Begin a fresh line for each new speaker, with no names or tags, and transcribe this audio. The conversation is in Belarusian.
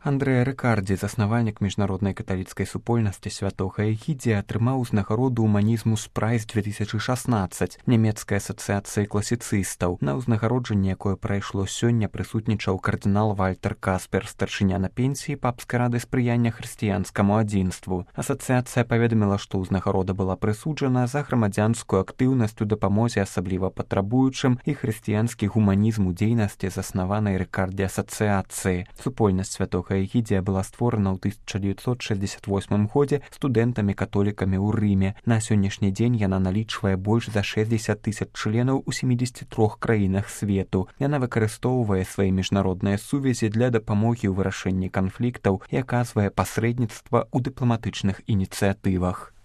Андрэа Рыкардзі, заснавальнік міжнароднай каталіцкай супольнасці святога Эгідзія, атрымаў узнагароду «Humanismus Prize 2016 нямецкай асацыяцыі класіцыстаў. На ўзнагароджанне, якое прайшло сёння, прысутнічаў кардынал Вальтер Каспер, старшыня на пенсіі папскай рады спрыяння хрысціянскаму адзінству. Асацыяцыя паведаміла, што ўзнагарода была прысуджана за грамадзянскую актыўнасць у дапамозе асабліва патрабуючым і хрысціянскі гуманізм у дзейнасці, заснаванай Рыкардзі асацыяцыі. Супольнасць святога Эгідзія была створана ў 1968 годзе студэнтамі-католікамі ў Рыме. На сённяшні дзень яна налічвае больш за 60 000 членаў у 73 краінах свету. Яна выкарыстоўвае свае міжнародныя сувязі для дапамогі ў вырашэнні канфліктаў і аказвае пасрэдніцтва ў дыпламатычных ініцыятывах.